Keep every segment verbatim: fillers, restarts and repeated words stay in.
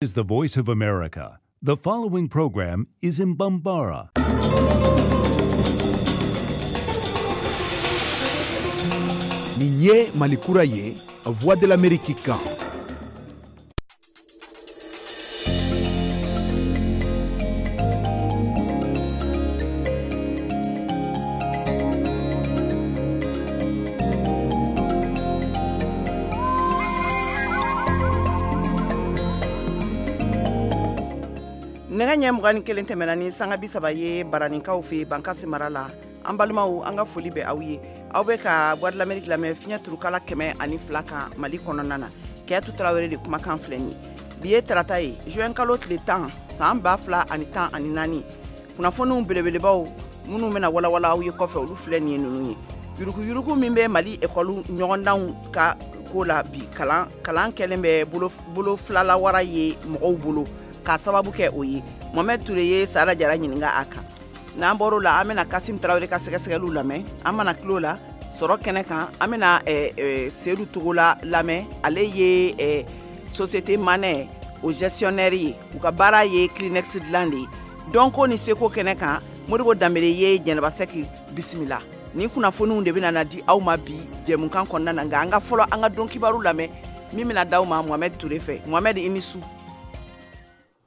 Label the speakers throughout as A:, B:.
A: Is the Voice of America. The following program is in Bambara.
B: Nin ye Malikura ye, Voix de l'Amérique kan.
C: Nɛgɛ ɲɛ mugan ni kelen tɛmɛna ni sanga bi saba ye Baraninkaw fɛ Bankasi mara la. An balimaw, an ka foli bɛ aw ye. Aw bɛ ka Voix de l'Amérique lamɛn fiɲɛ turukala kɛmɛ ani fila kan Mali kɔnɔna na. Kɛyatu Tarawele de kumakan filɛ nin ye. Bi ye tarata ye, juin kalo tile tan, san ba fila ani tan ani naani. Kunnafoniw belebelebaw minnu bɛna walawala aw ye kɔfɛ, olu filɛ nin ye ninnu ye. Yuruguyurugu min bɛ Mali ekɔli ɲɔgɔndanw ka ko la bi, kalan kalan kɛlen bɛ bolo bolo filalawara ye mɔgɔw bolo k'a sababu kɛ o ye. Mohamed Touré ye Sara Jara ɲininka a kan. N'an bɔr'o la, an bɛna Kasim Tarawele ka sɛgɛsɛgɛliw lamɛn. An mana tulo la sɔrɔ kɛnɛ kan, an bɛna eh, eh, Seydou Togola lamɛn. Ale ye eh, société Manɛ o gestionnaire ye. U ka baara ye Kleenex dilan de ye. Dɔnko ni seko kɛnɛ kan, Modibo Danbele ye Jɛnɛba Sɛki bisimila. Nin kunnafoniw de bɛna na di aw ma bi jɛmukan kɔnɔna na, nka an ka fɔlɔ an ka don kibaru lamɛn min bɛna d'aw ma Mohamed Touré fɛ. Mohamed, i ni su.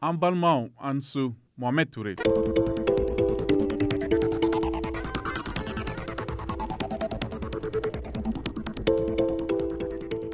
D: An balimaw, an su. Mohamed Touré.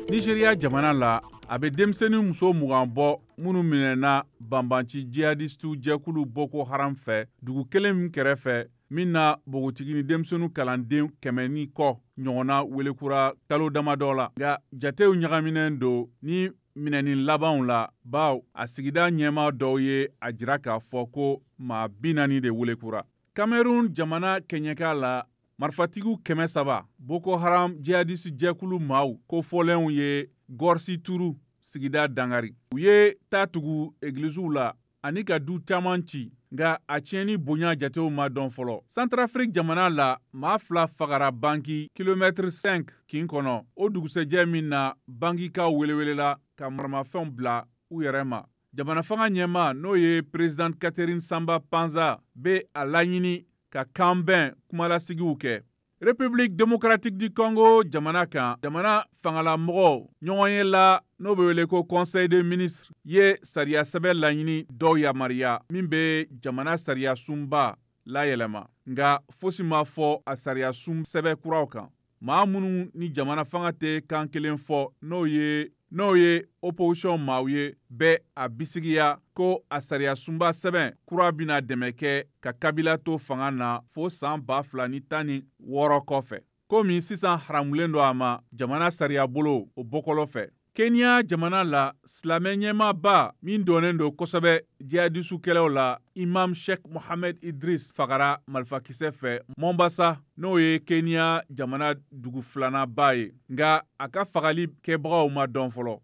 D: Nigeria jamana la, a bɛ denmisɛnnin muso mugan bɔ minnu minɛna banbanci jihadistu jɛkulu Boko Haram fɛ dugu kelen min kɛrɛfɛ, min na npogotigi ni denmisɛnnin kalanden kɛmɛ ni kɔ ɲɔgɔnna welekura kalo damadɔ la. Nka jatew ɲagaminen don ni minɛni labanw la, baw a sigida ɲɛmaa dɔw ye a jira k'a fɔ ko maa bi naani de welekura. Cameroun jamana kɛɲɛka la, marifatigiw kɛmɛ saba Boko Haram jihadisi jɛkulu maaw kofɔlenw ye Gorsi Turu sigida dangari. U ye taa tugu egiliziw la ani ka du caman ci, nka a tiɲɛni bonya jatew ma dɔn fɔlɔ. Centrafrique jamana la, maa fila fagara banki kilomɛtiri cinq kin kɔnɔ, o dugusɛjɛ min na bankikaw welewelela ka maramafɛnw bila u yɛrɛ ma. Jamana fanga ɲɛmaa, n'o ye président Catherine Samba Panza, bɛ a laɲini ka kanbɛn kumalasigiw kɛ. République démocratique du Congo jamana kan, jamana fangalamɔgɔw ɲɔgɔnye la, n'o bɛ wele ko Conseil des ministres, ye sariya sɛbɛn laɲini dɔw yamaruya min bɛ jamana sariya sunba layɛlɛma, nka fosi ma fɔ a sariya sun sɛbɛn kuraw kan. Maa minnu ni jamana fanga tɛ kan kelen fɔ, n'o ye n'o ye opposition maaw ye, bɛ a bisigiya ko a sariya sunba sɛbɛn kura bɛna dɛmɛ kɛ ka Kabila to fanga na fo san ba fila ni tan ni wɔɔrɔ kɔfɛ, komi sisan haramulen don a ma jamana sariya bolo o bɔkɔlɔ fɛ. Kenya jamana la, silamɛ ɲɛmaaba min dɔnnen don kosɛbɛ jihadisu kɛlɛw la, Imam Sheikh Mohammed Idris, fagara marifakisɛ fɛ Mombasa, n'o ye Kenya jamana dugu filananba ye, nka a ka fagali kɛbagaw ma dɔn fɔlɔ.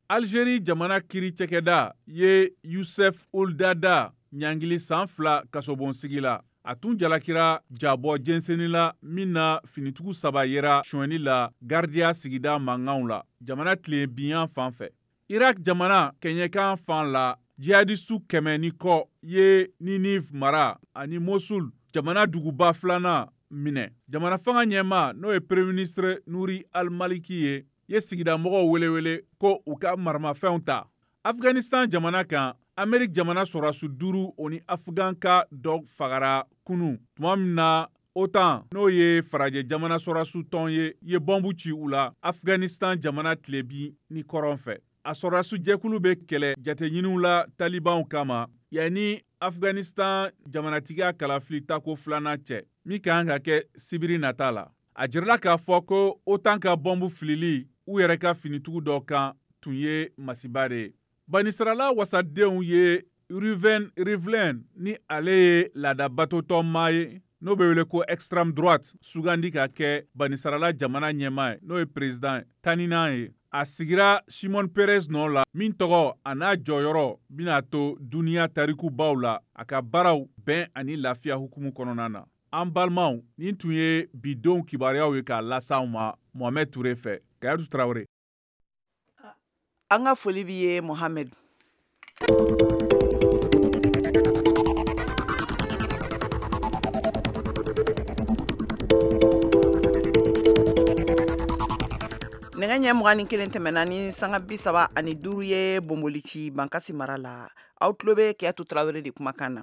D: Algérie jamana kiri cɛkɛda ye Youssef Ould Dada ɲangili san fila kasobonsigi la. A tun jalakira jabɔ jɛnsɛnni la min na finitigiw saba yera sonyɛni la Gardia sigida mankanw la jamana tilebinyan fan fɛ. Irak jamana kɛɲɛkan fan la, jihadistu kɛmɛ ni kɔ ye Ninive mara ani Mosul jamana duguba filanan minɛ. Jamana fanga ɲɛmaa, n'o ye premier ministre Nouri al-Maliki ye, ye sigidamɔgɔw welewele ko u ka maramafɛnw ta. Afghanistan jamana kan, Amerique jamana sɔrɔdasi duuru o ni Afgan ka dɔ fagara kunun tuma min na OTAN, n'o ye farajɛ jamana sɔrɔdasi tɔn ye, ye bɔnbu ci u la Afghanistan jamana tilebin ni kɔrɔn fɛ. A sɔrɔdasi jɛkulu bɛ kɛlɛ jateɲiniw la talibanw kama yanni Afghanistan jamanatigiya kalafili tako filanan cɛ min ka kan ka kɛ sibiri nata la. A jirala k'a fɔ ko OTAN ka bɔnbu filili u yɛrɛ ka finitigiw dɔ kan tun ye masiba de ye. Banisirala wasadenw ye Reuven Rivlin, ni ale ye laadabatotɔnmaa ye n'o bɛ wele ko extrême droite, sugandi ka kɛ Banisirala jamana ɲɛmaa ye, n'o ye président tan ni naani ye. A sigira Shimon Peres nɔ la, min tɔgɔ a n'a jɔyɔrɔ bɛna to duniya tarikubaw la a ka baaraw bɛn ani lafiya hukumu kɔnɔna na. An balimaw, nin tun ye bidenw kibaruyaw ye k'a las'aw ma Mohamed Touré fɛ. Kayatu Tarawele.
C: An ka foli b'i ye, Mohamed. Nɛgɛ ɲɛ mugan ni kelen tɛmɛna ni sanga bi saba ani duuru ye Bonbolici Bankasi mara la. Aw tulo bɛ Kiyatu Tarawele de kumakan na.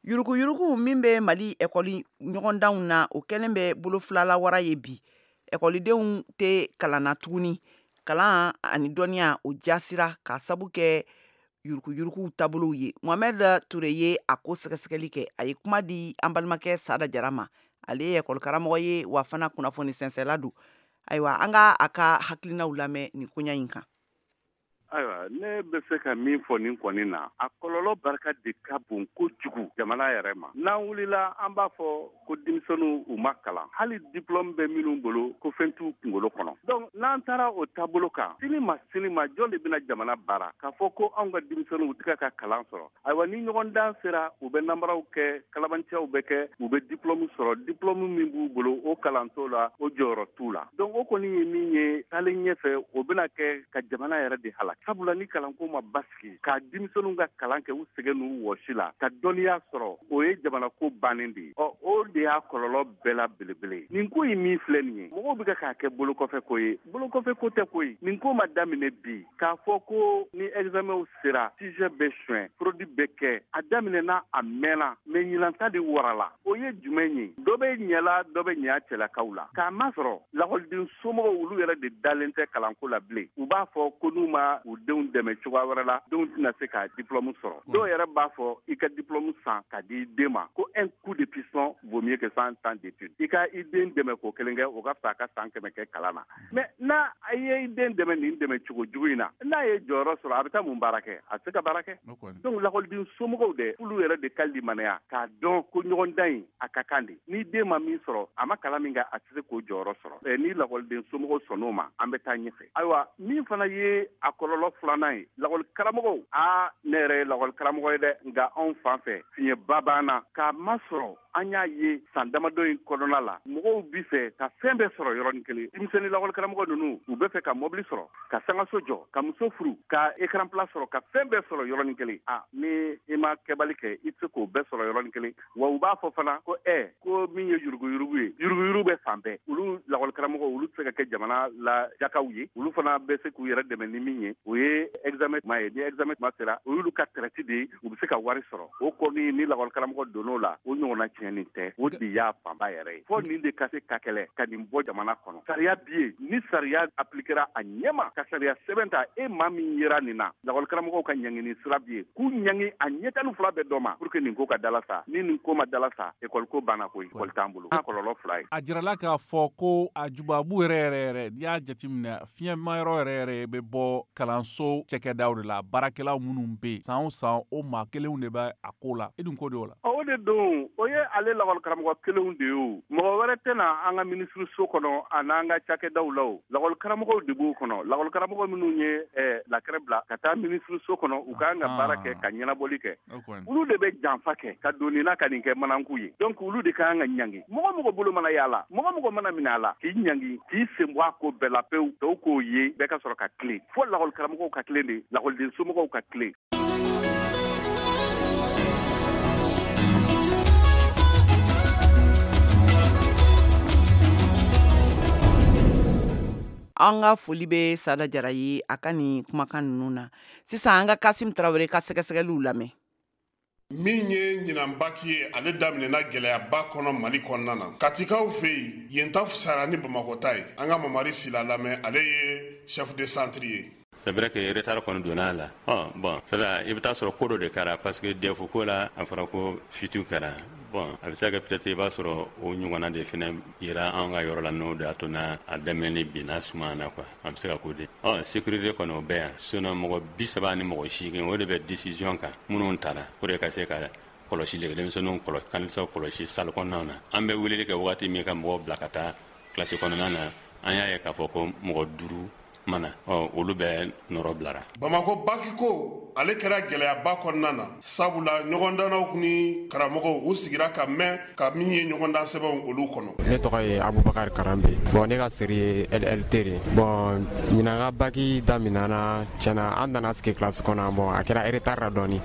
C: Yuruguyurugu min bɛ Mali ekɔli ɲɔgɔndanw na, o kɛlen bɛ bolo filala wara ye bi. Ekɔlidenw tɛ kalan na tuguni. Kalan ani dɔnniya o jasira k'a sabu kɛ yuruguyurugu taabolow ye. Mohamed Toure ye a ko sɛgɛsɛgɛli kɛ. A ye kuma di an balimakɛ Sada Jara ma. Ale ye ekɔli karamɔgɔ ye wa fana kunnafoni sɛnsɛnla don. Ayiwa, an ka a ka hakilinaw lamɛn nin koɲa in kan.
E: Ayiwa, ne bɛ se ka min fɔ nin kɔni na, a kɔlɔlɔ barika de ka bon kojugu jamana yɛrɛ ma. N'an wulila an b'a fɔ ko denmisɛnninw u ma kalan, hali diplôme bɛ minnu bolo ko fɛn t'u kunkolo kɔnɔ. Donc n'an taara o taabolo kan, sini ma sini ma jɔn de bɛna jamana baara k'a fɔ ko anw ka denmisɛnninw u tɛ ka kalan sɔrɔ? Ayiwa, ni ɲɔgɔndan sera, u bɛ nanbaraw kɛ, kalabanciyaw bɛ kɛ, u bɛ diplôme sɔrɔ, diplôme min b'u bolo o kalan t'o la, o jɔyɔrɔ t'u la. Donc o kɔni ye min ye taalen ɲɛfɛ, o bɛna kɛ ka jamana yɛrɛ de halaki. Sabula ni kalanko ma basigi, ka denmisɛnninw ka kalan kɛ u sɛgɛn n'u wɔsi la, ka dɔnniya sɔrɔ, o ye jamana ko bannen de ye. Ɔ, o de y'a kɔlɔlɔ bɛɛ la belebele. Nin ko in min filɛ nin ye, mɔgɔw bɛ k'a kɛ bolokɔfɛ ko ye. Bolokɔfɛ ko tɛ koyi. Nin ko ma daminɛ bi k'a fɔ ko ni examenw sera, sujet bɛ suɲɛ, fraude bɛ kɛ. A daminɛna, a mɛnna, mais ɲinanta de warala. O ye jumɛn ye? Dɔ bɛ ɲɛla, dɔ bɛ ɲɛ cɛlakaw la. K'a masɔrɔ lakɔliden somɔgɔw olu yɛrɛ de dalen tɛ kalanko la bilen. U b'a fɔ ko n'u ma u denw dɛmɛ cogoya wɛrɛ la, denw tɛna se ka diplôme sɔrɔ. Dɔw yɛrɛ b'a fɔ i ka diplôme san ka di i den ma, ko un coup de piston vaut mieux que cent ans d'études. I ka i den dɛmɛ k'o kelen kɛ, o ka fisa a ka san kɛmɛ kɛ kalan na. Mais n'a ye i den dɛmɛ nin dɛmɛ cogo jugu in na, n'a ye jɔyɔrɔ sɔrɔ, a bɛ taa mun baara kɛ? A tɛ se ka baara kɛ. Donc lakɔliden somɔgɔw dɛ, olu yɛrɛ de ka limaniya k'a dɔn ko ɲɔgɔndan in a ka kan de. Ni den ma min sɔrɔ, a ma kalan min kɛ, a tɛ se k'o jɔyɔrɔ sɔrɔ. Ni lakɔliden somɔgɔw sɔnn'o ma, an bɛ taa ɲɛfɛ. Ayiwa, min fana ye a kɔlɔlɔ filanan ye, lakɔli karamɔgɔw, aa ne yɛrɛ ye lakɔli karamɔgɔ ye dɛ, nka anw fan fɛ fiɲɛba b'an na. K'a masɔrɔ an y'a ye san damadɔ in kɔnɔna la, mɔgɔw bi fɛ ka fɛn bɛɛ sɔrɔ yɔrɔnin kelen. Denmisɛnnin lakɔli karamɔgɔ ninnu, u bɛ fɛ ka mɔbili sɔrɔ, ka sangaso jɔ, ka muso furu, ka écran plat sɔrɔ, ka fɛn bɛɛ sɔrɔ yɔrɔnin kelen. A ni i ma kɛbali kɛ, i tɛ se k'o bɛɛ sɔrɔ yɔrɔnin kelen. Wa u b'a fɔ fana ko ɛ ko min ye yuruguyurugu ye, yuruguyurugu bɛ fan bɛɛ. Olu lakɔli karamɔgɔw, olu tɛ se ka kɛ jamana la jakaw ye. Olu fana bɛ se k'u yɛrɛ dɛmɛ ni min ye, o ye examen tuma ye. Ni examen tuma sera, o y'olu ka traite de ye, u bɛ se ka wari sɔrɔ. O kɔni ni lakɔli karamɔgɔ donn'o la, o ɲɔgɔnna tiɲɛni tɛ. O de y'a fanba yɛrɛ ye. Fo nin de ka se ka kɛlɛ ka nin bɔ jamana kɔnɔ. Sariya bi yen, ni sariya appliquera a ɲɛma, ka sariya sɛbɛn ta, e maa min yera nin na, lakɔli karamɔgɔw ka ɲangini sira bi yen, k'u ɲangi a ɲɛ tan ni fila bɛɛ dɔ ma, pour que nin ko ka dala sa. Ni nin ko ma dala sa, ekɔli ko banna koyi, ekɔli t'an bolo. A kɔlɔlɔ fila ye.
D: A jirala k'a fɔ ko a jubabu yɛrɛ yɛrɛ yɛrɛ, n'i y'a jateminɛ, fiɲɛmayɔrɔ yɛrɛ yɛrɛ bɛ bɔ kalanso cɛkɛdaw de la, baarakɛlaw minnu bɛ yen san o san, o maa kelenw de bɛ a ko la. E dun ko de o la?
E: O de don, o ye ale lakɔli karamɔgɔ kelenw de ye. O mɔgɔ wɛrɛ tɛna an ka minisiriso kɔnɔ a n'an ka cakɛdaw la. O lakɔli karamɔgɔw de b'o kɔnɔ. Lakɔli karamɔgɔ minnu ye lakɛrɛ bila ka taa minisiriso kɔnɔ, u k'an ka baara kɛ ka ɲɛnabɔli kɛ, olu de bɛ janfa kɛ ka don nin na ka nin kɛ mananku ye. Donc olu de ka kan ka ɲangi. Mɔgɔ mɔgɔ bolo mana y'a la, mɔgɔ mɔgɔ mana minɛ a la, k'i ɲangi, k'i sen bɔ a ko bɛɛ la pewu, tɔw k'o ye, bɛɛ ka sɔrɔ ka tilen. Fo lakɔli karamɔgɔw ka tilen de, lakɔliden somɔgɔw ka tilen.
C: An ka foli bɛ Sada Jara ye a ka nin kumakan ninnu na. Sisan an ka Kasim Tarawele ka sɛgɛsɛgɛliw lamɛn.
F: Min ye ɲinan baki ye, ale daminɛna gɛlɛyaba kɔnɔ Mali kɔnɔna na. Katikaw fɛ yen, yen ta fisayara ni Bamakɔ ta ye. An ka Mamari Sila lamɛn, ale ye chef de centre ye.
G: C'est vrai que retard kɔni donna a la. Ɔ bon, i bɛ taa sɔrɔ ko dɔ de kɛra, parce que D E F ko la, a fɔra ko fuite kɛra. Bon, a bɛ se ka kɛ peut-être i b'a sɔrɔ o ɲɔgɔnna de fɛnɛ yera an ka yɔrɔ la, n'o de y'a to n'a a daminɛni binna suma na quoi. An bɛ se ka k'o de. Ɔ sécurité kɔni o bɛ yan. Sinon mɔgɔ bi saba ni mɔgɔ seegin, o de bɛ décision kan minnu taara pour que ka se ka kɔlɔsili kɛ, denmisɛnninw kɔlɔsi, kanisaw kɔlɔsi salle kɔnɔnaw na. An bɛ weleli kɛ wagati min ka mɔgɔw bila ka taa kilasi kɔnɔna na, an y'a ye k'a fɔ ko mɔgɔ duuru ma na, ɔ olu bɛɛ nɔrɔ bilara.
F: Bamakɔ baki ko ale kɛra gɛlɛyaba kɔnɔna na, sabula ɲɔgɔndannaw ni karamɔgɔw u sigira ka mɛn ka min ye ɲɔgɔndan sɛbɛnw olu kɔnɔ.
H: Ne tɔgɔ ye Abubakar Karambe. Bon, ne ka série ye L L T de. Bon, ɲinan ka baki daminɛna tiɲɛna, an nana sigi classe kɔnɔ. Bon, a kɛra retard la dɔɔni.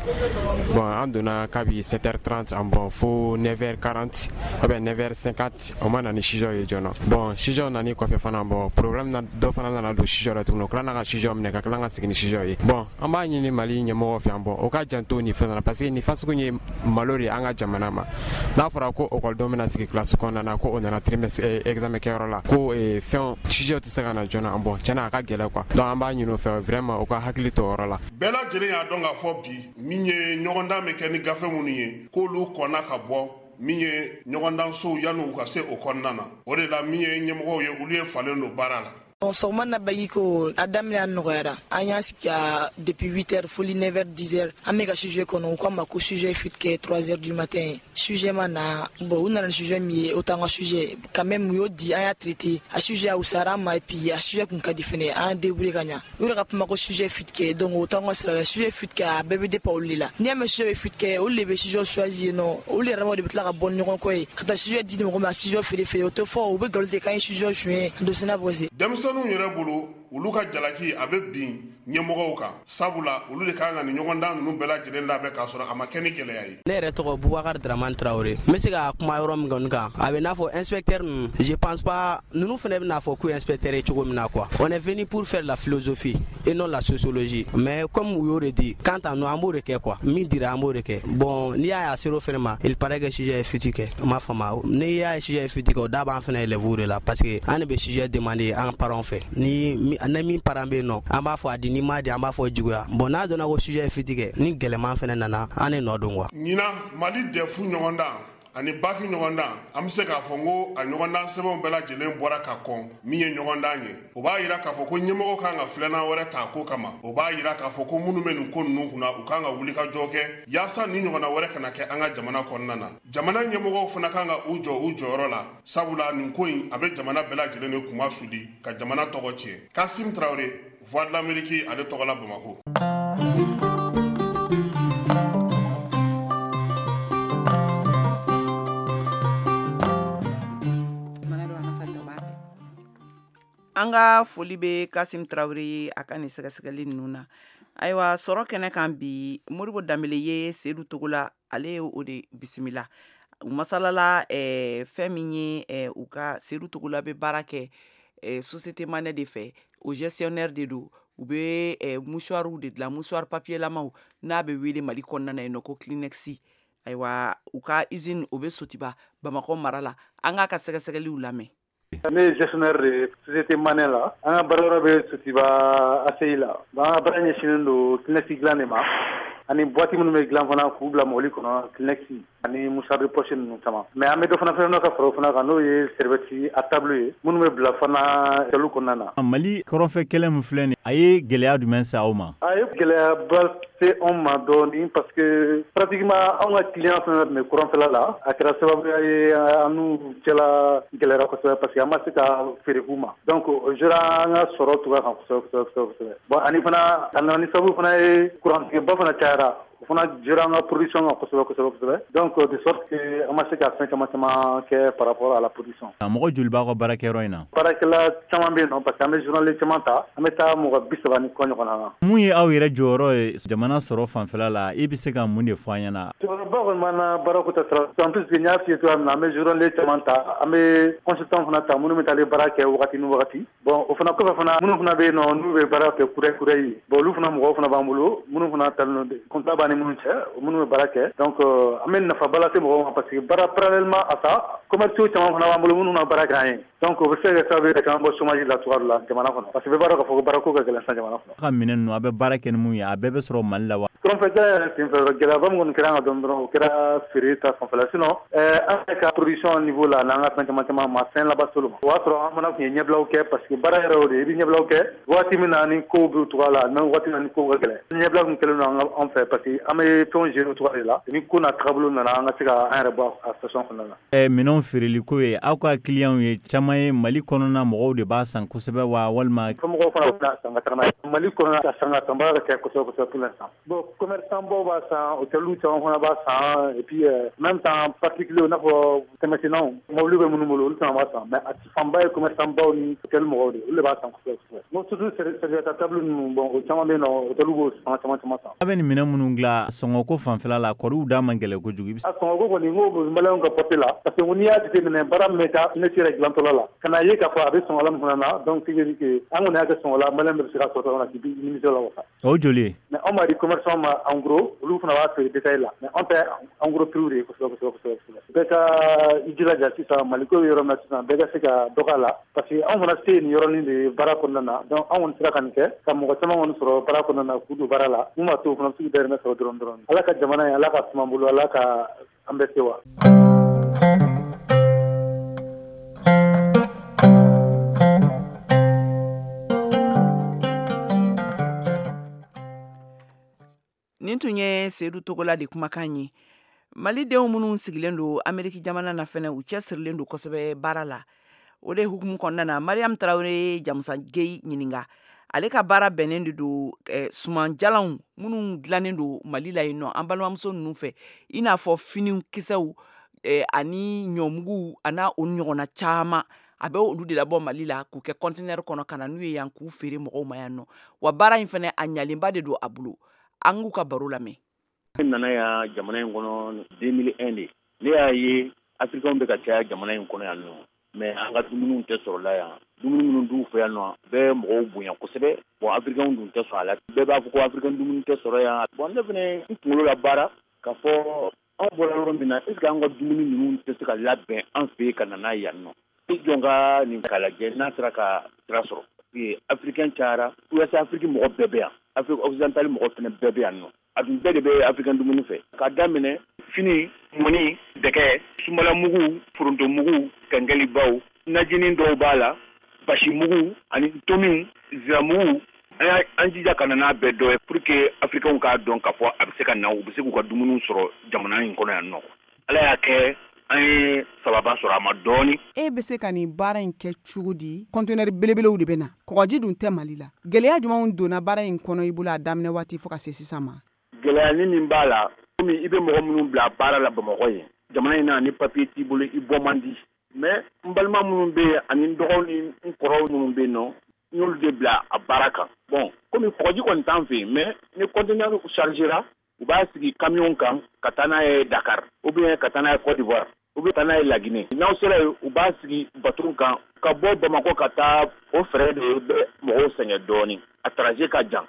H: Bon, an donna kabi sept heures trente an, bon, fo neuf heures quarante ou bien neuf heures cinquante, o ma na ni sujet ye joona. Bon, sujet nani kɔfɛ fana, bon, problème na dɔ fana nana don sujet la tuguni, o tilala ka sujet minɛ ka tila ka segin ni sujet ye. Bon, an b'a ɲini Mali ɲɛmɔgɔw fɛ yan, bon, o ka janto nin fɛn na, parce que nin fasugu ye malo de ye an ka jamana ma. N'a fɔra ko ekɔlidenw bɛna sigi classe kɔnɔna na, ko o nana trimestre examen kɛyɔrɔ la, ko fɛn sujet tɛ se ka na joona, bon, tiɲɛna a ka gɛlɛn quoi. Donc an b'a ɲini o fɛ vraiment, o ka hakili to o yɔrɔ la.
F: Bɛɛ lajɛlen y'a dɔn k'a fɔ bi min ye ɲɔgɔndan bɛ kɛ ni gafe minnu ye, k'olu kɔnna ka bɔ min ye ɲɔgɔndansow yanni u ka se o kɔnɔna na. O de la min ye ɲɛmɔgɔw ye, olu ye falen don baara la.
I: Bon, sɔgɔma na baki ko a daminɛ a nɔgɔyara. An y'a sigi a depuis huit heures foli neuf heures, dix heures, an bɛ ka sujet kɔnɔ. U k'an ma ko sujet fuite kɛ trois heures du matin, sujet ma na. Bon, u nana ni sujet min ye, o t'an ka sujet. Quand même u y'o di, an y'a traité. A sujet a wusayara an ma, et puis a sujet kun ka di fɛnɛ, an débrouillé ka ɲa. U yɛrɛ ka kuma ko sujet fuite kɛ, donc o t'an ka sira la. Sujet fuite kɛ, a bɛɛ bɛ dépend olu de la. N'i y'a mɛn sujet bɛ fuite kɛ, olu de bɛ sujet choisi yen nɔ. Olu yɛrɛ de bɛ tila ka bɔ ni ɲɔgɔn kɔ ye ka taa sujet di mɔgɔ ma, a sujet feere feere. O tɛ fɔ, u bɛ nkalon tigɛ k'an ye sujet suɲɛ dossier bɔse.
F: Denmisɛnninw yɛrɛ bolo, olu ka jalaki a bɛ bin ɲɛmɔgɔw kan, sabula olu de kan ka nin ɲɔgɔndan ninnu bɛɛ lajɛlen labɛn k'a sɔrɔ a ma kɛ ni gɛlɛya ye.
J: Ne yɛrɛ tɔgɔ Bubakar Dramane Traoré. N bɛ se ka kuma yɔrɔ min kɔni kan, a bɛ n'a fɔ inspecteur ninnu, je pense pas ninnu fana bɛna fɔ k'u inspecteur ye cogo min na quoi. On est venu pour faire la philosophie et non la sociologie, mais comme u y'o de di, quant à nous, an b'o de kɛ quoi. Min dira, an b'o de kɛ. Bon, n'i y'a ye a ser'o fɛnɛ ma, il paraît que sujet ye fuite kɛ. N m'a faamu, n'i y'a ye sujet ye fuite kɛ, o da b'an fana élèves de la, parce que an de bɛ sujet demander an parents fɛ. Ni ni min parent bɛ yen nɔ, an b'a fɔ a di, n'i m'a di, an b'a fɔ juguya. Bon, n'a dɔnna ko sujet ye fuite kɛ, ni gɛlɛman fɛnɛ nana, an de nɔ don quoi.
F: Ɲinan Mali D E F ɲɔgɔndan ani baki ɲɔgɔndan, an bɛ se k'a fɔ n ko a ɲɔgɔndan sɛbɛnw bɛɛ lajɛlen bɔra ka kɔn min ye ɲɔgɔndan ye. O b'a yira k'a fɔ ko ɲɛmɔgɔ kan ka filanan wɛrɛ ta ko kama. O b'a yira k'a fɔ ko minnu bɛ nin ko ninnu kunna, u kan ka wuli ka jɔ kɛ yaasa ni ɲɔgɔnna wɛrɛ kana kɛ an ka jamana kɔnɔna na. Jamana ɲɛmɔgɔw fana kan ka u jɔ u jɔyɔrɔ la, sabula nin ko in a bɛ jamana bɛɛ lajɛlen de kunma suli ka jamana tɔgɔ tiɲɛ. Kasim Tarawele, Voix de l'Amérique ale tɔgɔ la, Bamakɔ.
C: An ka foli bɛ Kasim Tarawele ye a ka nin sɛgɛsɛgɛli ninnu na. Ayiwa, sɔrɔ kɛnɛ kan bi, Modibo Danbele ye Sedu Togola, ale ye o de bisimila. U masalala eh, fɛn min ye eh, u ka Sedu Togola bɛ baara kɛ eh, société Manɛ de fɛ, o gestionnaire de don. U bɛ eh, mouchoirw de dilan, mouchoir papier lamaw n'a bɛ wele Mali kɔnɔna na yen nɔ ko Kleenex. Ayiwa, u ka usine o bɛ Sotiba, Bamakɔ mara la. An k'a ka sɛgɛsɛgɛliw lamɛn.
K: Ne ye gestionnaire de société Manɛ la. An ka baarayɔrɔ bɛ Sotiba A C I la. An ka baara ɲɛsinnen don Kleenex dilan de ma, ani boîte minnu bɛ dilan fana k'u bila mobili kɔnɔ, Kleenex ani mouchoir de poche ninnu caman. Mais an bɛ dɔ fana fɛn ka fara o fana kan, n'o ye serviette à table ye, minnu bɛ bila fana hôtel kɔnɔna na.
L: Mali kɔrɔnfɛ kɛlɛ min filɛ nin, a ye gɛlɛya jumɛn se aw ma?
K: A ye gɛlɛyaba se anw ma dɔɔni, parce que pratiquement anw ka client fɛn fɛn tun bɛ kɔrɔnfɛla la, a kɛra sababuya ye an n'u cɛla gɛlɛyara kosɛbɛ, parce que an ma se ka feere k'u ma. Donc o jouera an ka sɔrɔ cogoya kan kosɛbɛ kosɛbɛ kosɛbɛ. Bon, ani fana a nana ni sababu fana ye, kurantigɛba fana cayara, o fana jouera an ka production kan kosɛbɛ kosɛbɛ kosɛbɛ. Donc de sorte que an ma se ka fɛn caman caman kɛ par rapport à la production.
L: Mɔgɔ joli b'aw ka baarakɛyɔrɔ in na?
K: Baarakɛla caman bɛ yen nɔ, parce que an bɛ journalier caman ta, an bɛ taa mɔgɔ bi saba ni kɔ ɲɔgɔn na.
L: Mun ye aw yɛrɛ jɔyɔrɔ ye jamana sɔrɔ fanfɛla la? I bɛ se ka mun de fɔ an ɲɛna?
K: Jɔyɔrɔba kɔni b'an na baarako ta sira. En plus, n y'a f'i ye cogoya min na, an bɛ journalier caman ta, an bɛ consultant fana ta minnu bɛ taa baara kɛ wagati ni wagati. Bon, o fana kɔfɛ fana, minnu fana bɛ yen nɔ n'u bɛ baara kɛ kudayi kudayi, bon, olu fana mɔgɔw fana b'an bolo minnu fana talen don, contrat b'an ni minnu cɛ, minnu bɛ baara kɛ. Donc an bɛ nafaba lase mɔgɔw ma, parce que baara, parallèlement à ça, commerciaux caman fana b'an bolo minnu na baara kɛ an ye. Donc o bɛ se ka kɛ sababu ye ka caman bɔ chômage la cogoya dɔ la jamana kɔnɔ, parce que bɛɛ b'a dɔn k'a fɔ ko baarako ka gɛlɛn sisan jamana kɔnɔ.
L: A ka minɛn ninnu, a bɛ baara kɛ ni mun ye, a bɛɛ bɛ sɔrɔ Mali la wa?
K: Kɔrɔnfɛ kɛlɛ yɛrɛ senfɛ, gɛlɛyaba min kɔni kɛra an kan dɔɔni dɔrɔn, o kɛra feere ta fanfɛla. Sinon an yɛrɛ ka production niveau la, n'an ka fɛn caman caman ma fɛn laban s'olu ma. O y'a sɔrɔ an fana tun ye ɲɛbilaw kɛ, parce que baara yɛrɛ o de ye, i bɛ ɲɛbilaw kɛ waati min na ni kow b'u cogoya la, même waati min na ni kow ka gɛlɛn. Ɲɛbila tun kɛlen don an fɛ, parce que an bɛ fɛnw gérer o cogoya de la, ni ko n'a tagabolo nana, an ka se ka an yɛrɛ bɔ a situation kɔnɔna na.
L: Ɛ minɛnw feereli ko ye, aw ka clients ye caman ye Mali kɔnɔna mɔgɔw de b'a san kosɛbɛ wa, walima?
K: Mɔgɔw fana bɛ san ka taga n'a ye Mali kɔnɔna ka san ka sanbaga ka caya kosɛbɛ kosɛbɛ pour l'instant. Bon, commerçant baw b'a san, hôteliw caman fana b'a san, et puis même temps particulier, i n'a fɔ tɛmɛsennaw, mobili bɛ minnu bolo, olu caman b'a san, mais a fanba ye commerçant baw ni hôtel mɔgɔw de, olu de b'a san kosɛbɛ kosɛbɛ. Bon, surtout serviette à table ninnu, bon, o caman bɛ yen nɔ, hôteliw b'o fana caman caman san.
L: A bɛ nin minɛn minnu dilan, sɔngɔko fanfɛla la, kɔriw da man gɛlɛn kojugu?
K: A sɔngɔko kɔni, n ko maliyɛnw ka portée la, parce que n'i y'a jateminɛ, baara min bɛ taa ne yɛrɛ dilantɔla la, ka na ye k'a fɔ a bɛ sɔngɔ la min fana na, donc ce qui veut dire que an kɔni y'a kɛ sɔngɔ la, maliyɛn bɛɛ bɛ se ka sɔrɔ cogo min na k'i nimisi la wasa.
L: O joli ye?
K: Mais anw b'a di commerçant ma en gros, olu fana b'a feere détail la, mais anw tɛ en gros prix de ye kosɛbɛ kosɛbɛ kosɛbɛ. Bɛɛ ka i jilaja sisan, Maliko bɛ yɔrɔ min na sisan, bɛɛ ka se ka dɔ k'a la, parce que anw fana se ye nin yɔrɔnin de ye baara kɔnɔna na. Donc anw kɔni sera ka nin kɛ ka mɔgɔ caman kɔni sɔrɔ baara kɔnɔna na k'u don baara la, mun b'a to u fana bɛ se k'u dahirimɛ sɔrɔ dɔrɔn dɔrɔn. Ala ka jamana in, Ala ka suma bolo, Ala ka an bɛɛ se wa.
C: Nin tun ye Seyidu Togola de kumakan ye. Malidenw minnu sigilen don Ameriki jamana na fɛnɛ, u cɛsirilen don kosɛbɛ baara la. O de hukumu kɔnɔna na, Mariam Tarawele ye Jamusa Geyi ɲininka. Ale ka baara bɛnnen de don eh, sumanjalanw minnu dilannen don Mali la yen nɔ, an balimamuso ninnu fɛ, i n'a fɔ fini kisɛw eh, ani ɲɔmugu a n'a o ɲɔgɔnna caman. A bɛ olu de labɔ Mali la k'u kɛ conteneur kɔnɔ ka na n'u ye yan k'u feere mɔgɔw ma yan nɔ. Wa baara in fɛnɛ, a ɲalenba de don a bolo. An k'u ka baro lamɛn.
M: Ne nana yan jamana in kɔnɔ deux mille un de. Ne y'a ye Africains bɛ ka caya jamana in kɔnɔ yan nɔ, mais an ka dumuniw tɛ sɔrɔ la yan. Dumuni minnu d'u fɛ yan nɔ bɛɛ mɔgɔw bonya kosɛbɛ. Bon, Africains dun tɛ sɔn a la, bɛɛ b'a fɔ ko Africain dumuni tɛ sɔrɔ yan. Bon, ne fɛnɛ n kunkolo la baara k'a fɔ anw bɔra yɔrɔ min na, est ce que an ka dumuni ninnu tɛ se ka labɛn an fɛ yen ka na n'a ye yan nɔ? I jɔn ka nin k'a lajɛ n'a sera ka sira sɔrɔ. Africain cayara, Ouest Afrique mɔgɔ bɛɛ bɛ yan, Afrique occidentale mɔgɔ fɛnɛ bɛɛ bɛ yan nɔ. A dun bɛɛ de bɛ africain dumuni fɛ, k'a daminɛ fini, mɔni, dɛgɛ, sumalamugu, forontomugu, kɛnkɛlibaw, najinin dɔw b'a la, basimugu ani tomiw, ziramugu. An an jija ka na n'a bɛɛ dɔ ye pour que Africains k'a dɔn k'a fɔ a bɛ se ka na, u bɛ se k'u ka dumuniw sɔrɔ jamana in kɔnɔ yan nɔ. Ala y'a kɛ an ye sababa sɔrɔ a ma dɔɔni.
C: E bɛ se ka nin baara in kɛ cogo di? Conteneur belebelew de bɛ na, kɔgɔji dun tɛ Mali la. Gɛlɛya jumɛnw donna baara in kɔnɔ i bolo a daminɛ waati fo ka se sisan ma?
M: Gɛlɛya min b'a la, komi i bɛ mɔgɔ minnu bila baara la Bamakɔ yen, jamana in na, ni papier t'i bolo, i bɔ man di. Mais n balima minnu bɛ yen ani n dɔgɔw ni n kɔrɔw minnu bɛ yen nɔ, n y'olu de bila a baara kan. Bon, komi kɔgɔji kɔni t'an fɛ yen, mais ni conteneur chargera, u b'a sigi camion kan ka taa n'a ye Dakar, ou bien ka taa n'a ye Côte d'Ivoire, ou bien taa n'a ye Laginɛ. N'aw sera yen, u b'a sigi bateau kan ka bɔ Bamakɔ ka taa. O fɛɛrɛ de bɛ mɔgɔw sɛgɛn dɔɔni, a trajet ka jan.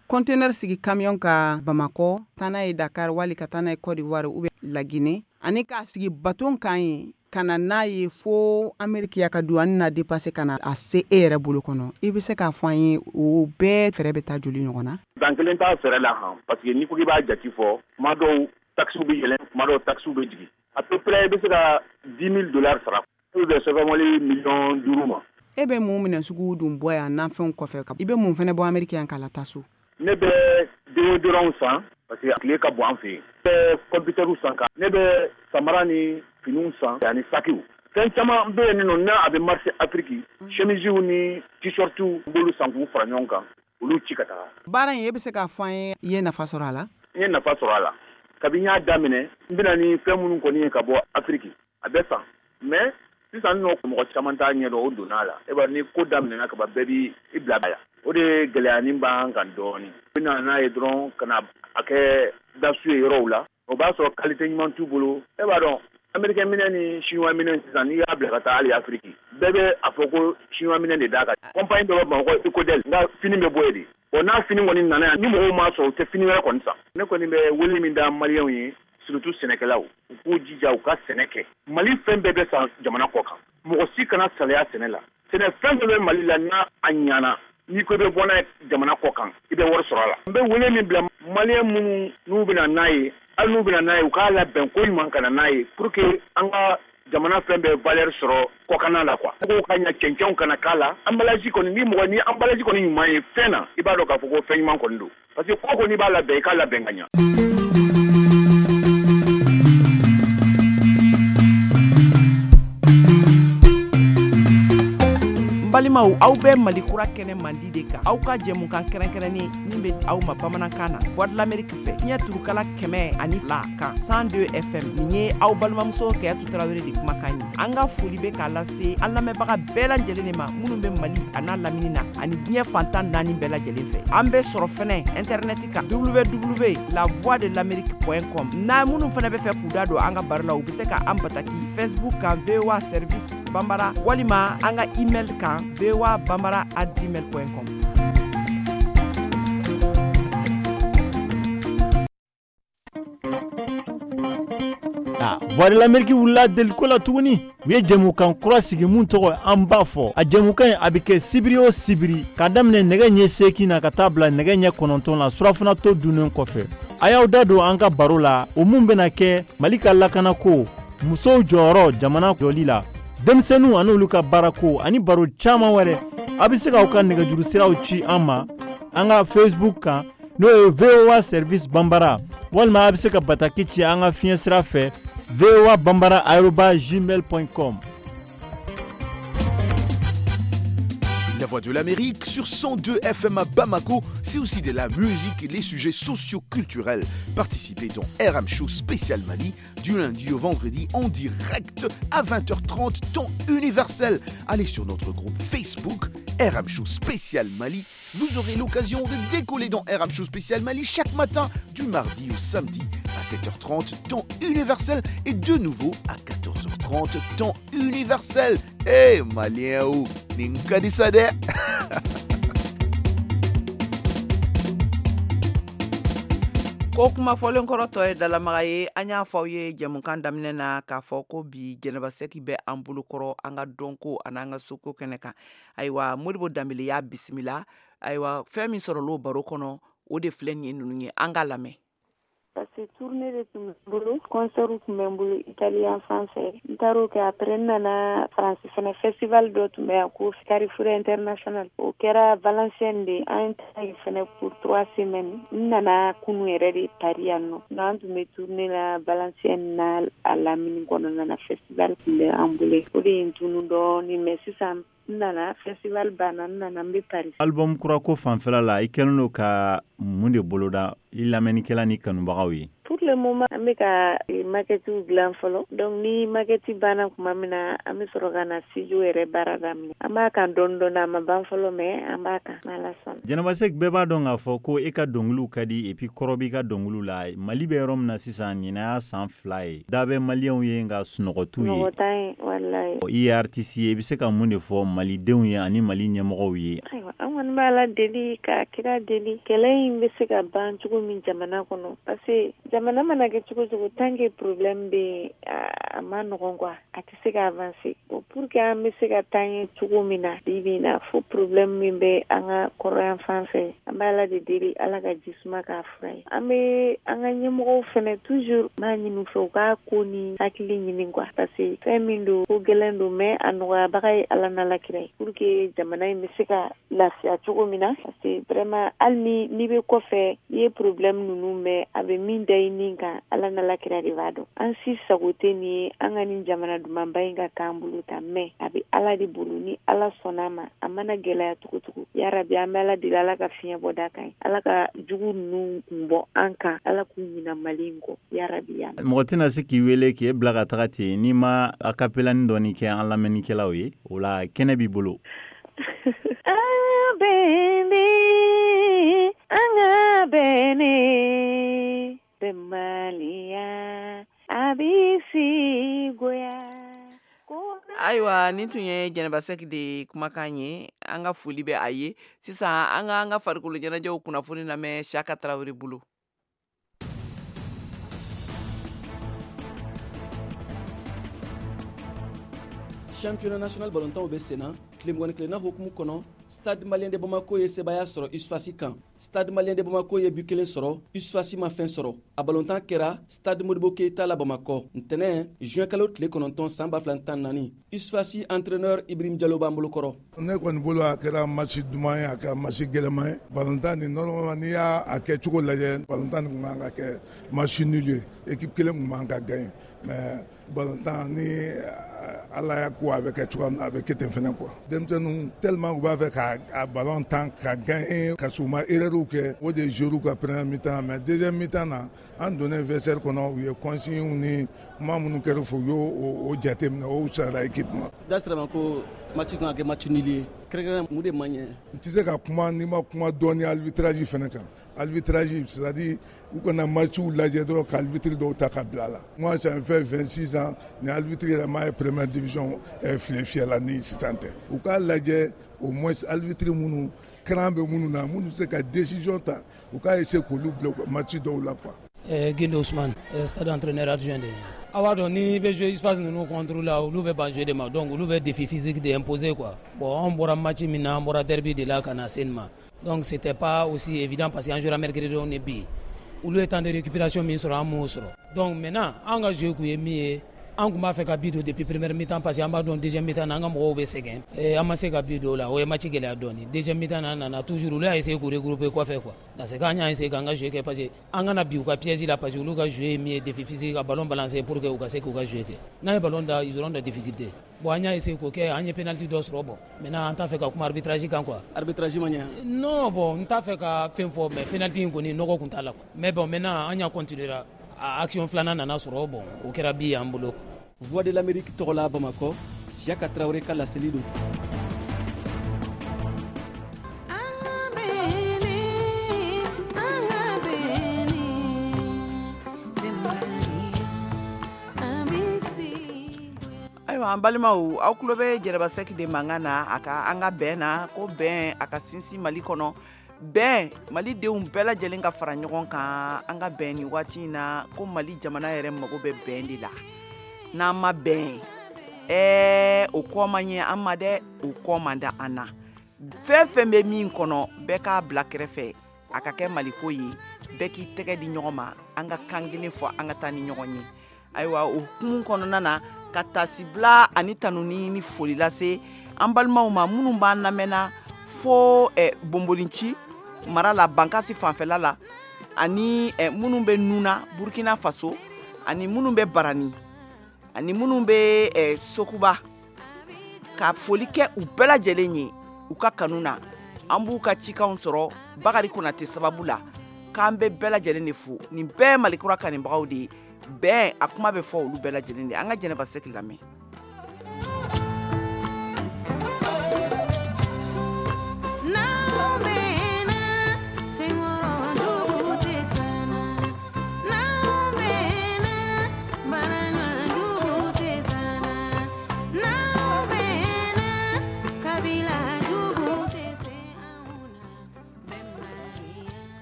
C: Conteneur sigi camion ka Bamakɔ, taa n'a ye Dakar wali ka taa n'a ye Côte d'Ivoire ou bien Laginɛ, ani k'a sigi bateau kan yen ka na n'a ye fo Ameriki ya ka douane na dépasser ka na a se e yɛrɛ bolo kɔnɔ, i bɛ se k'a fɔ an ye o bɛɛ fɛɛrɛ bɛ taa joli ɲɔgɔn na?
M: Dan kelen t'a fɛɛrɛ la han, parce que n'i ko k'i b'a jate fɔ, tuma dɔw taxes bɛ yɛlɛn, tuma dɔw taxes bɛ jigin. À peu près i bɛ se ka dix mille dollars sara pour bɛ sɛbɛn miliyɔn duuru ma.
C: E bɛ mun minɛ sugu dun bɔ yan nafɛnw kɔfɛ, i bɛ mun fɛnɛ bɔ Ameriki yan k'a la taa so?
M: Ne bɛ déodorant san, parce que tile ka bon an fɛ yen. Ne bɛ computer san, kan ne bɛ samara ni finiw san ani sakiw. Fɛn caman bɛ yen nɔ n'a a bɛ marché Afrique, chemisew ni t-shirtiw, n b'olu san k'u fara ɲɔgɔn kan, olu ci ka taga.
C: Baara in, e bɛ se k'a fɔ an ye, i ye nafa sɔrɔ a la?
M: N ye nafa sɔrɔ a la. Kabi n y'a daminɛ, n bɛna ni fɛn minnu kɔni ye ka bɔ Afrique, a bɛ san. Mais sisan nɔ, mɔgɔ caman t'a ɲɛdɔn, o donna a la. E b'a ni ko daminɛna ka ban, bɛɛ b'i i bila a la. O de ye gɛlɛyanin b'an kan dɔɔni. U bɛ na n'a ye dɔrɔn ka na a kɛ dasu ye yɔrɔw la, o b'a sɔrɔ qualité ɲuman t'u bolo. E b'a dɔn, américain minɛ ni chinois minɛ sisan, n'i y'a bila ka taa hali Afrique, bɛɛ bɛ a fɔ ko chinois minɛ de d'a kan. Compagnie dɔ bɛ Bamakɔ, Ecodel, n ka fini bɛ bɔ yen de. Bon, n'a fini kɔni nana yan, ni mɔgɔw m'a sɔrɔ, u tɛ fini wɛrɛ kɔni san. Ne kɔni bɛ wele min da maliyɛnw ye, surtout sɛnɛkɛlaw, u k'u jija u ka sɛnɛ kɛ. Mali fɛn bɛɛ bɛ san jamana kɔ kan, mɔgɔ si kana salaya sɛnɛ la. Sɛnɛ fɛn fɛn bɛ Mali la, n'a a ɲana, n'i ko i bɛ bɔ n'a ye jamana kɔ kan, i bɛ wari sɔrɔ a la. N bɛ wele min bila maliyɛn minnu n'u bɛna n'a ye, hali n'u bɛna n'a ye, u k'a labɛn ko ɲuman ka na n'a ye pour que an ka jamana fɛn bɛɛ valeur sɔrɔ kɔkanna la quoi. Ko ka ɲa cɛncɛnw kana k'a la, emballage kɔni ni mɔgɔ ni emballage kɔni ɲuman ye fɛn na, i b'a dɔn k'a fɔ ko fɛn ɲuman kɔni don. Parce que ko kɔni b'a labɛn, i k'a labɛn ka ɲa.
C: Balimaw, aw bɛ Mali kura kɛnɛ mandi de kan, aw ka jɛmukan kɛrɛnkɛrɛnnen min bɛ aw ma bamanankan na Voix de l'Amérique fɛ, fiɲɛ turukala kɛmɛ ani fila kan cent deux F M. Nin ye aw balimamuso Kayatu Tarawele de kumakan ye. An ka foli bɛ k'a lase an lamɛnbaga bɛɛ lajɛlen de ma minnu bɛ Mali a n'a lamini na ani diɲɛ fantan naani bɛɛ lajɛlen fɛ. An bɛ sɔrɔ fɛnɛ internet kan w w w la voix de l'amérique point com. N'a minnu fɛnɛ bɛ fɛ k'u da don an ka baro la, u bɛ se ka an bataki Facebook kan V O A Service Bambara walima an ka email kan v o a bambara at gmail point com.
L: Ah, Voix de l'Amérique wulila deliko la tuguni. U ye jɛmukan kura sigi mun tɔgɔ an b'a fɔ. A jɛmukan in a bɛ kɛ sibiri o sibiri k'a daminɛ nɛgɛ ɲɛ seegin na ka taa bila nɛgɛ ɲɛ kɔnɔntɔn la surafana to dunnen kɔfɛ. A y'aw da don an ka baro la, o mun bɛna kɛ Mali ka lakanako, musow jɔyɔrɔ jamana jɔli la, denmisɛnninw ani olu ka baarako ani baro caman wɛrɛ. A bɛ se k'aw ka nɛgɛjuru siraw ci an ma an ka Facebook kan, n'o ye V O A Service Bambara, walima a bɛ se ka bataki ci an ka fiɲɛ sira fɛ v o a bambara arobase gmail point com.
N: La Voix de l'Amérique sur cent deux F M à Bamako, c'est aussi de la musique et les sujets socio-culturels. Participez dans R M Show spécial Mali du lundi au vendredi en direct à vingt heures trente temps universel. Allez sur notre groupe Facebook R M Show spécial Mali. Vous aurez l'occasion de décoller dans R M Show spécial Mali chaque matin du mardi au samedi à sept heures trente temps universel et de nouveau à quatorze heures trente temps universel. Eh hey, Malien ou nin ka di sa dɛ.
C: Ko kuma fɔlen kɔrɔ tɔ ye dalamaga ye. An y'a fɔ aw ye jɛmukan daminɛ na k'a fɔ ko bi Jɛnɛba Sɛki bɛ an bolokɔrɔ an ka dɔnko an'an ka soko kɛnɛ kan. Ayiwa, Modibo Danbele y'a bisimila. Ayiwa, fɛn min sɔrɔla o baro kɔnɔ, o de filɛ nin ye ninnu ye. An k'a lamɛn.
O: Parce que tournée de tun bɛ n bolo, concert tun bɛ n bolo Italien fan fɛ. N taar'o kɛ, après n nana France fɛnɛ, festival dɔ tun bɛ yan ko Carrefour International. O kɛra Valenciennes de, an taara yen fɛnɛ pour trois semaines. N nana kunu yɛrɛ de Paris yan nɔ. Donc an tun bɛ tournée la Valenciennes na a lamini kɔnɔna na, festival tun bɛ an bolo. O de ye n tunu dɔɔni, mais sisan n nana festival banna, n nana n bɛ Paris.
L: Album kura ko fanfɛla la, i kɛlen don ka mun de boloda i lamɛnnikɛla ni kanubagaw ye?
O: Pour le moment, an bɛ ka maquette dilan fɔlɔ. Donc ni maquette banna tuma min na, an bɛ sɔrɔ ka na studio yɛrɛ baara daminɛ. An b'a kan dɔɔni dɔɔni, a ma ban fɔlɔ, mais an b'a kan n'Ala sɔnna.
L: Jɛnɛba Sɛki, bɛɛ b'a dɔn k'a fɔ ko e ka dɔnkiliw ka di et puis kɔrɔ b'i ka dɔnkiliw la. Mali bɛ yɔrɔ min na sisan, ɲinan y'a san fila ye. Da bɛ maliyɛnw ye nka sunɔgɔ t'u ye.
O: Sunɔgɔ t'an ye, walayi.
L: I ye artiste ye, i bɛ se ka mun de fɔ malidenw ye ani Mali ɲɛmɔgɔw ye?
O: Ayiwa, an kɔni b'a la deli ka kira deli, kɛlɛ in bɛ se ka ban cogo min jamana kɔnɔ, parce que jamana mana kɛ cogo cogo, tant que problème bɛ yen, a ma nɔgɔn quoi, a tɛ se ka avancer. Bon, pour que an bɛ se ka taa ɲɛ cogo min na bi bi in na, fo problème min bɛ an ka kɔrɔyan fan fɛ, an bɛ Ala de deli, Ala ka ji suma k'a fura ye. An bɛ an ka ɲɛmɔgɔw fɛnɛ toujours b'a ɲini u fɛ u k'a ko ni hakili ɲini quoi, parce que fɛn min don, ko gɛlɛn don, mais a nɔgɔyabaga ye Ala n'Ala kira ye, pour que jamana in bɛ se ka lafiya cogo min na. Parce que vraiment hali ni n'i bɛ kɔfɛ, n'i ye problème ninnu mɛn, a bɛ min da i nin kan, Ala n'Ala kira de b'a dɔn. An si sago tɛ nin ye an ka nin jamana dumanba in ka k'an bolo tan, mais a bɛ Ala de bolo. Ni Ala sɔnna a ma, a mana gɛlɛya cogo cogo, yarabi an bɛ Ala deli, Ala ka fiɲɛ bɔ da kan ye, Ala ka jugu ninnu kun bɔ an kan, Ala k'u ɲina Mali in kɔ, yarabi ya.
L: Mɔgɔ tɛna se k'i wele k'e bila ka taga ten n'i ma acapella dɔɔni kɛ an lamɛnnikɛlaw ye, o la kɛnɛ b'i bolo.
O: An bɛn an ka bɛn bɛnbaliya a bɛ si goya.
C: Ayiwa, nin tun ye Jɛnɛba Sɛki de kumakan ye. An ka foli bɛ a ye. Sisan an ka an ka farikolo ɲɛnajɛw kunnafoni lamɛn Siyaka Tarawele bolo.
P: Championnat national ballontanw bɛ senna. Tile mugan ni kelenna hukumu kɔnɔ, Stade Malien de Bamako ye sebaaya sɔrɔ U S F A S kan. Stade Malien de Bamako ye but kelen sɔrɔ, U S F A S ma fɛn sɔrɔ. A balontan kɛra Stade Modibo Keita la Bamakɔ ntɛnɛn juin kalo tile kɔnɔntɔn san ba fila tan naani. U S F A S entraîneur Ibrahim Jalo b'an bolo kɔrɔ.
Q: Ne kɔni bolo, a kɛra match duman ye, a kɛra match gɛlɛman ye. Balontan nin, normalement, n'i y'a kɛ cogo lajɛ, balontan nin tun kan ka kɛ match nul ye, équipe kelen tun man ka gagner. Mais balontan ni Ala y'a ko a bɛ kɛ cogoya min na, a bɛ kɛ ten fɛnɛ quoi. Denmisɛnninw tellement u b'a fɛ ka a ballon tan ka gagner, ka sɔrɔ u ma erreur kɛ, o de jouer ka première mi-temps. Mais deuxième mi-temps na, an donnen vestiaire kɔnɔ, u ye consigne ni kuma minnu kɛra fɔ, u y'o o jateminɛ, o fisayara équipe ma.
P: Da sira ma ko match kan ka kɛ match nul ye, kɛrɛnkɛrɛn mun de man ɲɛ?
Q: N tɛ se ka kuma n'i ma kuma dɔɔni arbitrage fɛnɛ kan. Arbitrage, c'est à dire u kana matchw lajɛ dɔrɔn ka arbitre dɔw ta ka bila a la. Moi, ça me fait vingt-six ans ni arbitre yɛrɛ m'a ye première division file fiyɛ la ni sisan tɛ. U k'a lajɛ au moins arbitre minnu cran bɛ minnu na, minnu bɛ se ka décision ta, u k'a essayer k'olu bila match dɔw la quoi.
R: Eh, Guindo Ousmane, stade entraîneur adjoint de. A b'a dɔn n'i bɛ jouer U S F A S ninnu contre la, olu bɛ ban jouer de ma, donc olu bɛ défi physique de imposer quoi. Bon, an bɔra match min na, an bɔra derby de la ka na se nin ma. Donc c'était pas aussi évident parce que an jouera mercredi ni bi. Olu ye temps de récupération min sɔrɔ, an m'o sɔrɔ. Donc maintenant, an ka jeu kun ye min ye, an tun b'a fɛ ka but don depuis première mi-temps parce que an b'a dɔn deuxième mi-temps na an ka mɔgɔw bɛ sɛgɛn. An ma se ka but don o la, o ye match gɛlɛya dɔɔni. Deuxième mi-temps na, an nana toujours, olu y'a essayer k'u regrouper kɔfɛ quoi. Dans ce cas, an y'a essayer k'an ka jeu kɛ parce que an kana bin u ka piège la, parce que olu ka jeu ye min ye, défi physique, ka ballon balancer pour que u ka se k'u ka jeu kɛ. N'an ye ballon da, ils auront des difficultés. Bon, an y'a essayer k'o kɛ, an ye penalty dɔ sɔrɔ. Bon, maintenant an t'a fɛ ka kuma arbitrage kan quoi.
P: Arbitrage ma ɲɛ?
R: Non, bon, n t'a fɛ ka fɛn fɔ, mais penalty in kɔni, nɔgɔ kun t'a la quoi. Mais bon, maintenant an y'a continuer, a action filanan nana sɔrɔ, bon, o kɛra but y'an bolo.
P: Voix de l'Amérique tɔgɔ la Bamakɔ, Siyaka Tarawele ka laseli don.
C: Ayiwa, an balimaw, aw tulo bɛ Jɛnɛba Sɛki de mankan na, a ka an ka bɛn na, ko bɛn a ka sinsin Mali kɔnɔ, bɛn malidenw bɛɛ lajɛlen ka fara ɲɔgɔn kan, an ka bɛn nin waati in na, ko Mali jamana yɛrɛ mago bɛ bɛn de la. N'an ma bɛn, ɛɛ o kɔ man ɲɛ an ma dɛ, o kɔ man da an na. Fɛn fɛn bɛ min kɔnɔ, bɛɛ k'a bila kɛrɛfɛ, a ka kɛ Maliko ye, bɛɛ k'i tɛgɛ di ɲɔgɔn ma, an ka kan kelen fɔ, an ka taa ni ɲɔgɔn ye. Ayiwa, o hukumu kɔnɔna na, ka tasibila ani tanuni ni foli lase an balimaw ma minnu b'an lamɛnna fo eh, Bonbolinci mara la, Bankasi fanfɛla la, ani eh, minnu bɛ Nuna, Burkina Faso, ani minnu bɛ Barani, ani minnu bɛ eh, Sokuba, ka foli kɛ u bɛɛ lajɛlen ye u ka kanu na. An b'u ka cikanw sɔrɔ Bakari Konate sababu la, k'an bɛ bɛɛ lajɛlen de fo. Nin bɛɛ ye Malikura kanubagaw de ye. Bɛn a kuma bɛ fɔ olu bɛɛ lajɛlen de. An ka Jɛnɛba Sɛki lamɛn.
S: N'aw bɛnna, senkɔrɔ dugu tɛ sanna. N'aw bɛnna, baaraɲɔgɔn tɛ sanna. N'aw bɛnna, kabila jugu tɛ se anw na.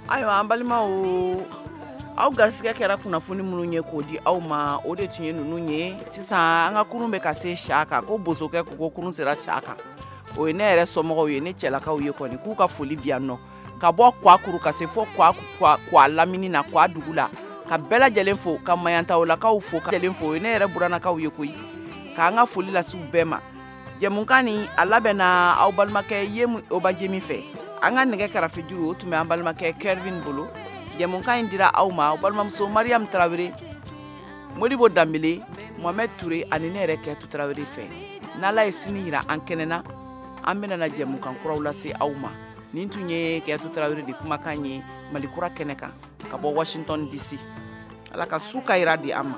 C: Ayiwa, an balimaw, aw garisɛgɛ kɛra kunnafoni minnu ye k'o di aw ma, o de tun ye ninnu ye. Sisan an ka kurun bɛ ka se sa kan, ko bosokɛ ko ko kurun sera sa kan. O ye ne yɛrɛ somɔgɔw ye, ne cɛlakaw ye kɔni, k'u ka foli di yan nɔ, ka bɔ Kwakuru ka se fɔ Kwa lamini na, Kwa dugu la, ka bɛɛ lajɛlen fo, ka Mayantawolakaw fo, ka lajɛlen fo. O ye ne yɛrɛ burannakaw ye koyi, k'an ka foli lase u bɛɛ ma. Jɛmukan nin a labɛnna aw balimakɛ Yemu Obajemi fɛ. An ka nɛgɛ karafejuru, o tun bɛ an balimakɛ Kervin bolo. Jɛmukan in dira aw ma aw balimamuso Mariam Tarawele, Modibo Danbele, Mohamed Touré ani ne yɛrɛ Kɛtu Tarawele fɛ. N'Ala ye sini yira an kɛnɛ na, an bɛna na jɛmukan kuraw lase aw ma. Nin tun ye Kɛtu Tarawele de kumakan ye Malikura kɛnɛ kan, ka bɔ Washington D C. Ala ka su ka yira di an ma.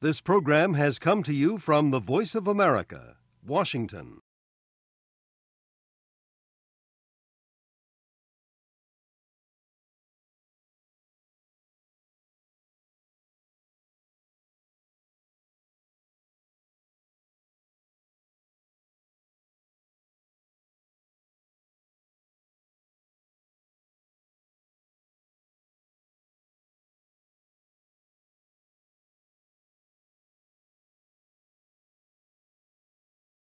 T: This program has come to you from the Voice of America, Washington.